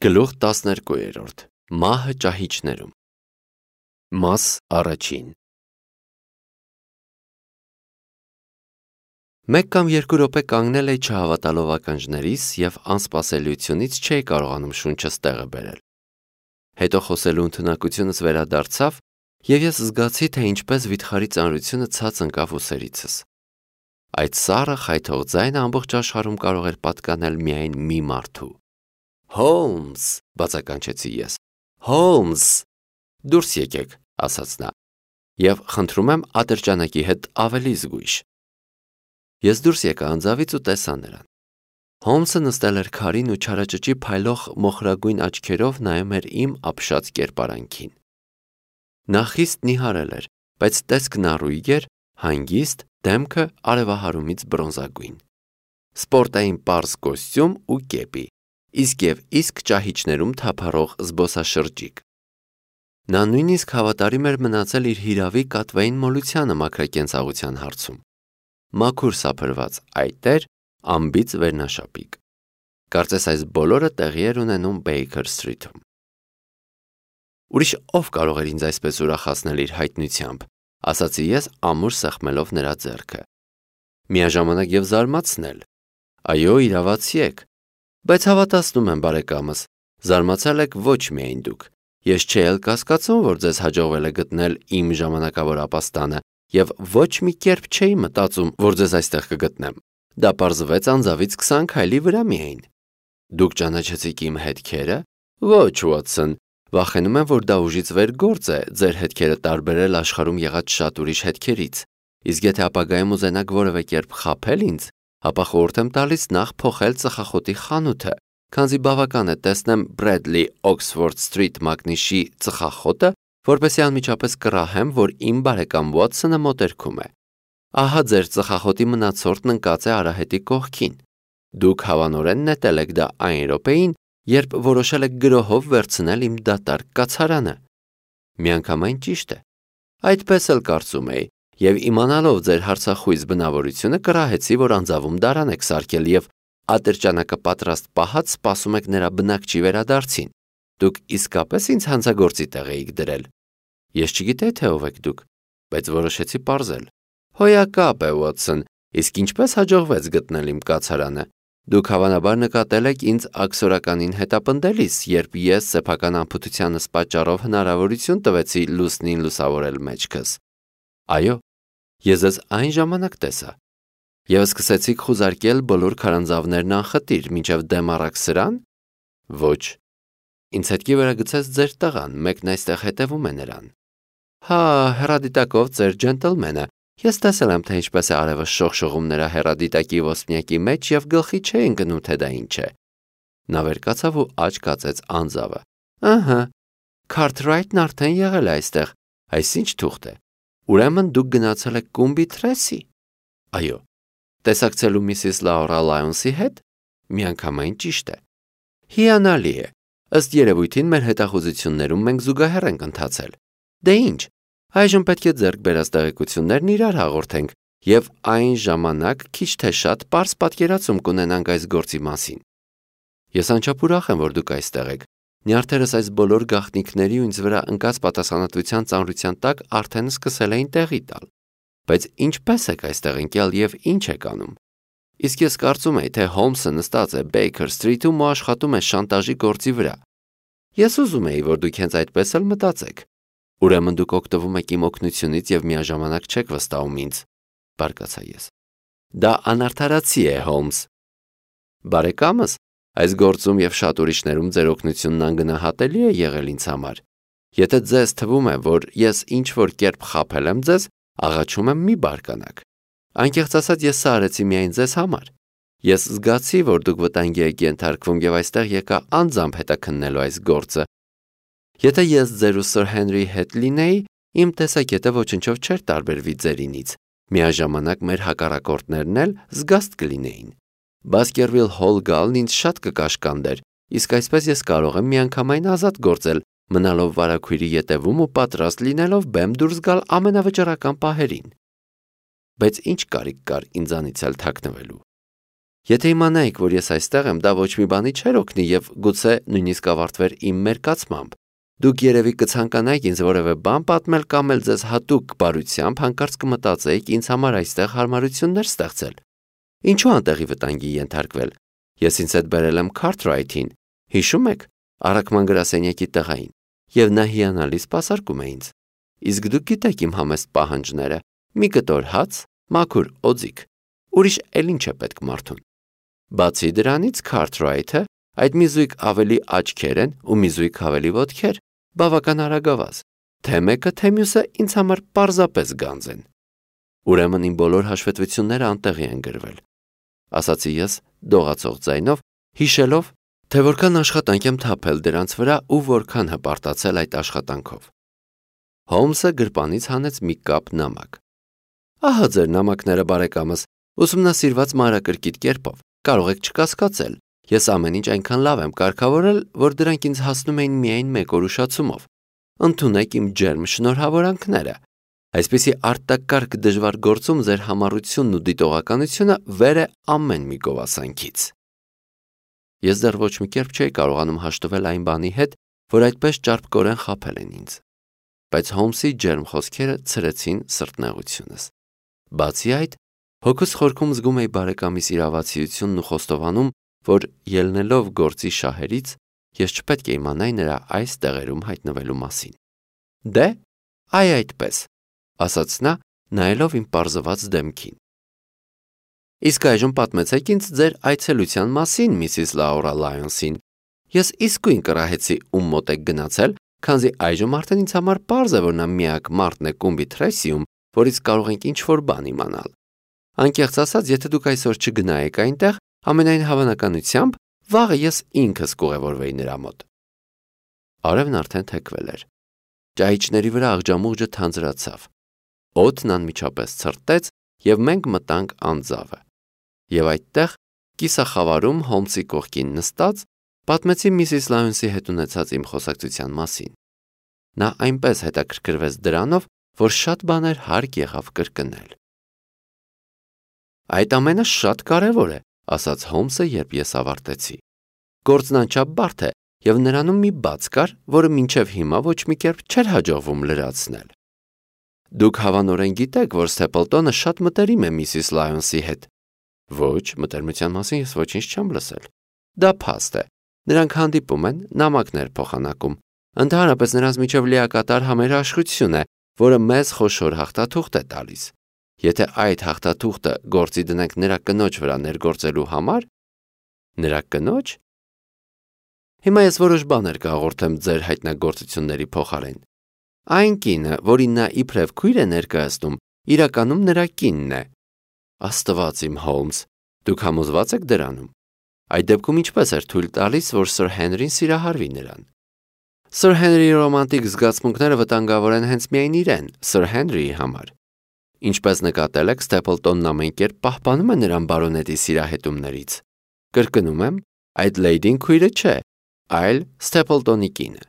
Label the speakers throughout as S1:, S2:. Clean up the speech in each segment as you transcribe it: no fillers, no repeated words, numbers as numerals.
S1: Գլուխ 12 Մահը ճահիճներում Մաս առաջին Մեկ կամ երկու րոպե կանգնել էի չհավատալով ականջներիս և անսպասելիությունից չէի կարողանում շունչս տեղը բերել։ Հետո խոսելու ընդունակությունս վերադարձավ և ես զգացի, թե ինչպես վիթխարի ծանրությունը ցած ընկավ ուսերիցս։ Այդ սառը խայթող ձայնը ամբողջ աշխարհում կարող էր պատկանել միայն մի մարդու։ «Հոլմս», բացականչեցի ես, «Հոլմս»։ «Դուրս եկեք», ասաց նա, և խնդրում եմ ատրճանակի հետ ավելի զգույշ։ Ես դուրս եկա անձավից ու տեսա նրան։ Հոլմսը նստել էր քարին ու չարաճճի փայլող մոխրագույն աչքերով նայում էր իմ ապշած կերպարանքին։ Նա խիստ նիհարել էր, բայց տեսքն առույգ էր, հանգիստ, դեմքը արևահարումից բրոնզագույն։ Սպորտային պարզ կոստյում ու կեպի, իսկ ճահիճներում թափառող զբոսաշրջիկ։ Նա նույնիսկ հավատարիմ էր մնացել իր հիրավի կատվային մոլությանը մաքրակենցաղության հարցում։ Մաքուր սափրված այտեր, անբիծ վերնաշապիկ։ Կարծես այս բոլորը տեղի էր ունենում Բեյքեր Սթրիթում։ Ուրիշ ով կարող էր ինձ այսպես ուրախացնել իր հայտնությամբ, ասացի ես ամուր սեղմելով նրա ձեռքը։ Միաժամանակ և զարմացնել։ Այո, իրավացի եք։ Բայց հավատացնում եմ, բարեկամս, զարմացել եք ոչ միայն դուք։ Ես չէի էլ կասկածում, որ ձեզ հաջողվել է գտնել իմ ժամանակավոր ապաստանը, և ոչ մի կերպ չէի մտածում, որ ձեզ այստեղ կգտնեմ։ Դա պարզվեց անձավից 20 քայլի վրա միայն։ Դուք ճանաչեցիք իմ հետքերը։ Ոչ, Ուոտսոն, վախենում եմ, որ դա ուժից վեր գործ է ձեր հետքերը տարբերել աշխարհում եղած շատ ուրիշ հետքերից։ Իսկ եթե ապագայում ուզենաք որևէ կերպ խաբել ինձ, ապա խորհուրդ եմ տալիս նախ փոխել ծխախոտի խանութը, քանզի բավական է տեսնեմ Բրեդլի Օքսֆորդ Սթրիթ մակնիշի ծխախոտը, որպեսզի անմիջապես կռահեմ, որ իմ բարեկամ Ուոտսոնը մոտերքում է։ Ահա ձեր ծխախոտի մնացորդն ընկած է արահետի կողքին։ Դուք հավանորեն նետել եք դա այն րոպեին, երբ որոշել եք գրոհով վերցնել իմ դատարկ կացարանը։ Միանգամայն ճիշտ է։ Այդպես էլ կարծում էի, և իմանալով ձեր հարցախույզ բնավորությունը կռահեցի, որ անձավում դարան եք սարքել և ատրճանակը պատրաստ պահած սպասում եք նրա բնակչի վերադարձին։ Դուք իսկապես ինձ հանցագործի տեղ էիք դրել։ Ես չգիտեի, թե ով եք դուք, բայց որոշեցի պարզել։ Հոյակապ է, Ուոտսոն, իսկ ինչպես հաջողվեց գտնել իմ կացարանը։ Դուք հավանաբար նկատել եք ինձ աքսորականին հետապնդելիս, երբ ես սեփական անփութությանս պատճառով հնարավորություն տվեցի լուսնին լուսավորել մեջքս։ Այո, ես ձեզ այն ժամանակ տեսա։ Եվ սկսեցիք խուզարկել բոլոր քարանձավներն անխտիր, մինչև դեմ առաք սրան։ Ոչ։ Ինձ հետքի վրա գցեց ձեր տղան, մեկն այստեղ հետևում է նրան։ Հա, հեռադիտակով ծեր ջենտլմենը։ Ես տեսել եմ, թե ինչպես է արևը շողշողում նրա հեռադիտակի ոսպնյակի մեջ և գլխի չէ ընկնում, թե դա ինչ է։ Նա վեր կացավ ու աչք կացեց անձավը։ Ըհը, Քարթրայթն արդեն եղել է այստեղ, այսինչ թուղթ է։ Ուրեմն դուք գնացել եք Կումբի Թրեսի։ Այո։ Տեսակցելու Միսիս Լաուրա Լայոնսի հետ։ Միանգամայն ճիշտ է։ Հիանալի է։ Ըստ երևույթին մեր հետախուզություններում մենք զուգահեռ ենք ընթացել։ Դե ինչ, այժմ պետք է ձեռք բերած տեղեկություններն իրար հաղորդենք և այն ժամանակ քիչ թե շատ պարզ պատկերացում կունենանք այս գործի մասին։ Ես անչափ ուրախ եմ, որ դուք այստեղ եք։ Նյարդերս այս բոլոր գաղտնիքների ու ինձ վրա ընկած պատասխանատվության ծանրության տակ արդեն սկսել էին տեղի տալ։ Բայց ինչպես եք այստեղ ընկել և ինչ եք անում։ Իսկ ես կարծում էի, թե Հոլմսը նստած է Բեյքեր Սթրիթում ու աշխատում է շանտաժի գործի վրա։ Ես ուզում էի, որ դուք հենց այդպես էլ մտածեք։ Ուրեմն դուք օգտվում եք իմ օգնությունից և միաժամանակ չեք վստահում ինձ, բարկացա ես։ Դա անարդարացի է, Հոլմս։ Բարեկամս, այս գործում և շատ ուրիշներում ձեր օգնությունն անգնահատելի է եղել ինձ համար։ Եթե ձեզ թվում է, որ ես ինչ-որ կերպ խաբել եմ ձեզ, աղաչում եմ մի բարկանաք։ Անկեղծ ասած, ես սա արեցի միայն ձեզ համար։ Ես զգացի, որ դուք վտանգի եք ենթարկվում և այստեղ եկա անձամբ հետաքննելու այս գործը։ Եթե ես ձեր ու Սր Հենրիի հետ լինեի, իմ տեսակետը ոչնչով չէր տարբերվի ձերինից։ Միաժամանակ մեր հակառակորդներն էլ զգաստ կլինեին։ Բասկերվիլ Հոլ գալն ինձ շատ կկաշկանդեր, իսկ այսպես ես կարող եմ միանգամայն ազատ գործել, մնալով վարագույրի ետևում ու պատրաստ լինելով բեմ դուրս գալ ամենավճռական պահերին։ Բայց ինչ կարիք կար ինձանից էլ թաքնվելու։ Եթե իմանայիք, որ ես այստեղ եմ, դա ոչ մի բանի չէր օգնի եւ գուցե նույնիսկ ավարտվեր իմ մերկացմամբ։ Դուք երևի կցանկանայիք ինձ որևէ բան պատմել կամ էլ ձեզ հատուկ բարությամբ հանկարծ կմտածեիք ինձ համար այստեղ հարմարություններ ստեղծել։ Ինչու անտեղի վտանգի ենթարկվել։ Ես ինձ հետ բերել եմ Քարթրայթին, հիշում եք, առաքման գրասենյակի տղային, եւ նա հիանալի սպասարկում է ինձ։ Իսկ դուք գիտեք իմ համեստ պահանջները՝ մի կտոր հաց, մաքուր օձիք, ուրիշ էլ ինչ է պետք մարդուն։ Բացի դրանից Քարթրայթը այդ մի զույգ ավելի աչքեր են ու մի զույգ ավելի ոտքեր, բավական արագավազ, թե մեկը, թե մյուսը ինձ համար պարզապես գանձ են։ Ուրեմն իմ բոլոր հաշվետվությունները անտեղի են գրվել, ասացի ես դողացող ձայնով, հիշելով, թե որքան աշխատանք եմ թափել դրանց վրա ու որքան հպարտացել այդ աշխատանքով։ Հոլմսը գրպանից հանեց մի կապ նամակ։ Ահա ձեր նամակները, բարեկամս, ուսումնասիրված մանրակրկիտ կերպով, կարող եք չկասկածել, ես ամեն ինչ այնքան լավ եմ կարգավորել, որ դրանք ինձ հասնում էին միայն մեկ օր ուշացումով։ Ընդունեք իմ ջերմ շնորհավորանքները։ Այսպիսի արտակարգ դժվար գործում ձեր համառությունն ու դիտողականությունը վեր է ամեն մի գովասանքից։ Ես դեռ ոչ մի կերպ չէի կարողանում հաշտվել այն բանի հետ, որ այդպես ճարպկորեն խաբել են ինձ։ Բայց Հոլմսի ջերմ խոսքերը ցրեցին սրտնեղությունս։ Բացի այդ, հոգուս խորքում զգում էի բարեկամիս իրավացիությունն ու խոստովանում, որ ելնելով գործի շահերից, ես չպետք է իմանայի նրա այս տեղերում հայտնվելու մասին։ Դե, այդպես, ասաց նա, նայելով իմ պարզված դեմքին։ Իսկ այժմ պատմեցեք ինձ ձեր այցելության մասին, Միսիս Լաուրա Լայոնսին։ Ես իսկույն կռահեցի ում մոտ եք գնացել, քանզի այժմ արդեն ինձ համար պարզ է, որ նա միակ մարդն է կումբի Թրեսիում, որից կարող ենք ինչ-որ բան իմանալ։ Անկեղծ ասած, եթե դուք այսօր չգնայիք այնտեղ, ամենայն հավանականությամբ վաղը ես ինքս կուղևորվեի նրա մոտ։ Արևն արդեն թեքվել էր։ Ճահիճների վրա աղջամուղջը թանձրացավ։ Օդն անմիջապես ցրտեց, եւ մենք մտանք անձավը։ Եվ այդտեղ, կիսախավարում Հոլմսի կողքին նստած, պատմեցի Միսիս Լայոնսի հետ ունեցած իմ խոսակցության մասին։ Նա այնպես հետաքրքրվեց դրանով, որ շատ բաներ հարկ եղավ կրկնել։ Այդ ամենը շատ կարևոր է, ասաց Հոլմսը, երբ ես ավարտեցի։ Գործն անչափ բարդ է, եւ նրանում մի բաց կար, որը մինչև հիմա ոչ մի կերպ չէր հաջողվում լրացնել։ Դուք հավանորեն գիտեք, որ Սթեփլտոնը շատ մտերիմ է Միսիս Լայոնսի հետ։ Ոչ, մտերմության մասին ես ոչինչ չեմ լսել։ Դա փաստ է։ Նրանք հանդիպում են, նամակներ փոխանակում։ Ընդհանրապես նրանց միջև լիակատար համերաշխություն է, որը մեզ խոշոր հաղթաթուղթ է տալիս։ Եթե այդ հաղթաթուղթը գործի դնենք նրա կնոջ վրա ներգործելու համար, նրա կնոջ։ Հիմա ես որոշ բաներ կհաղորդեմ ձեր հայտնագործությունների փոխարեն։ Այն կինը, որին նա իբրև քույր է ներկայացնում, իրականում նրա կինն է։ Աստված իմ Հոլմս, դուք համոզված եք դրանում։ Այդ դեպքում ինչպես էր թույլ տալիս, որ Սր Հենրին սիրահարվի նրան։ Սր Հենրիի ռոմանտիկ զգացմունքները վտանգավոր են հենց միայն իրեն, Սր Հենրիի համար։ Ինչպես նկատել եք, Ստեփլտոնն ամեն կերպ պահպանում է նրան բարոնետի սիրահետումներից։ Կրկնում եմ, այդ լեյդին քույրը չէ, այլ Ստեփլտոնի կինը։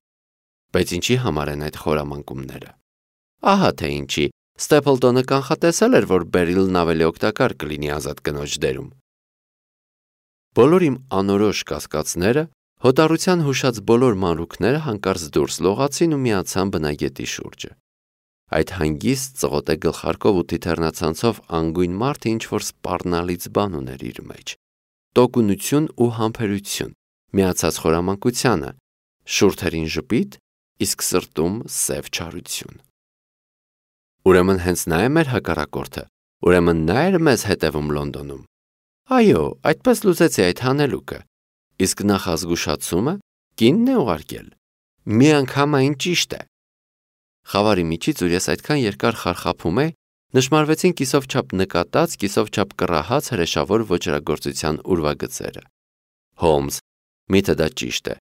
S1: Բայց ինչի համար են այդ խորամանկումները։ Ահա թե ինչի, Ստեփլտոնը կանխատեսել էր, որ Բերիլն ավելի օգտակար կլինի ազատ կնոջ դերում։ Բոլոր իմ անորոշ կասկածները, հոտառության հուշած բոլոր մանրուքները հանկարծ դուրս լողացին ու միացան բնագետի շուրջը։ Այդ հանգիստ ծղոտե գլխարկով ու թիթեռնացանցով անգույն մարդը ինչ-որ սպառնալից բան ուներ իր մեջ։ Տոկունություն ու համբերություն, միացած խորամանկությանը, շուրթերին ժպիտ, իսկ սրտում սև չարություն։ Ուրեմն հենց նա է մեր հակառակորդը, ուրեմն նա էր մեզ հետևում Լոնդոնում։ Այո, այդպես լուծեցի այդ հանելուկը, իսկ նախազգուշացումը կինն է ուղարկել։ Մի անգամ այն ճիշտ է։ Խավարի միջից, ուր ես այդքան երկար խարխափում էի, նշմարվեցին կիսով չափ նկատած, կիսով չափ կռահած հրեշավոր ոճրագործության ուրվագծերը։ Հոլմս, միթե դա ճիշտ է,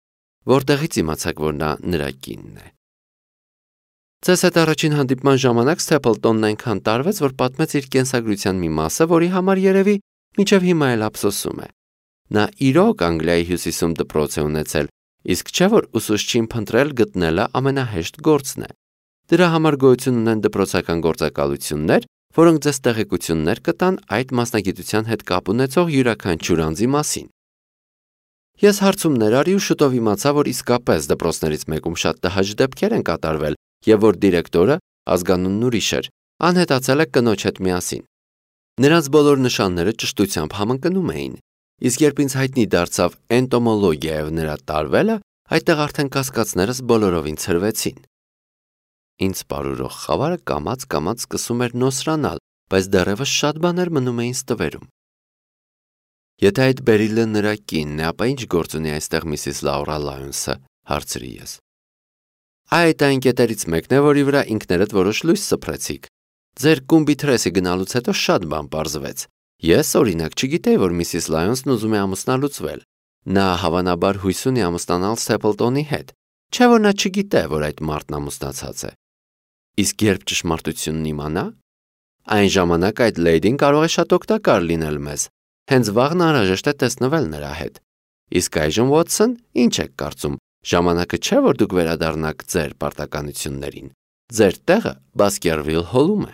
S1: որտեղից իմացաք, որ նա նրա կինն է։ Ձեզ հետ առաջին հանդիպման ժամանակ Ստեփլտոնն այնքան տարվեց, որ պատմեց իր կենսագրության մի մասը, որի համար երևի մինչև հիմա էլ ափսոսում է։ Նա իրոք Անգլիայի հյուսիսում դպրոց է ունեցել, իսկ չէ որ ուսուցչին փնտրել գտնելը ամենահեշտ գործն է։ Դրա համար գոյություն ունեն դպրոցական գործակալություններ, որոնք ձեզ տեղեկություններ կտան այդ մասնագիտության հետ կապ ունեցող յուրաքանչյուր անձի մասին։ Ես հարցումներ արի ու շուտով իմացա, որ իսկապես դպրոցներից մեկում շատ տհաճ դեպքեր են կատարվել եւ որ դիրեկտորը, ազգանունն ուրիշ էր, անհետացել է կնոջ հետ միասին։ Նրանց բոլոր նշանները ճշտությամբ համընկնում էին, իսկ երբ ինձ հայտնի դարձավ էնտոմոլոգիայով նրա տարվելը, այդտեղ արդեն կասկածներս բոլորովին ցրվեցին։ Ինձ պարուրող խավարը կամաց-կամաց սկսում էր նոսրանալ, բայց դեռևս շատ բաներ մնում էին ստվերում։ Եթե այդ Բերիլը նրա կինն է, ապա ինչ գործ ունի այստեղ Միսիս Լաուրա Լայոնսը, հարցրի ես։ Այդ այն կետերից մեկն է, որի վրա ինքներդ որոշ լույս սփռեցիք։ Ձեր կումբիթրեսի գնալուց հետո շատ բան պարզվեց։ Ես, օրինակ, չգիտեի, որ Միսիս Լայոնսն ուզում է ամուսնալուծվել։ Նա հավանաբար հույս ունի ամուսնանալ Սեփլտոնի հետ, չէ՞ որ նա չգիտե, որ այդ մարդն ամուսնացած է։ Իսկ երբ ճշմարտությունն իմանա, այն ժամանակ այդ լեյդին կարող է շատ օգտակար լինել մեզ։ Հենց վաղն անհրաժեշտ է տեսնվել նրա հետ։ Իսկ այժմ, Ուոտսոն, ինչ եք կարծում, ժամանակը չէ, որ դուք վերադառնաք ձեր պարտականություններին։ Ձեր տեղը Բասկերվիլ հոլում է։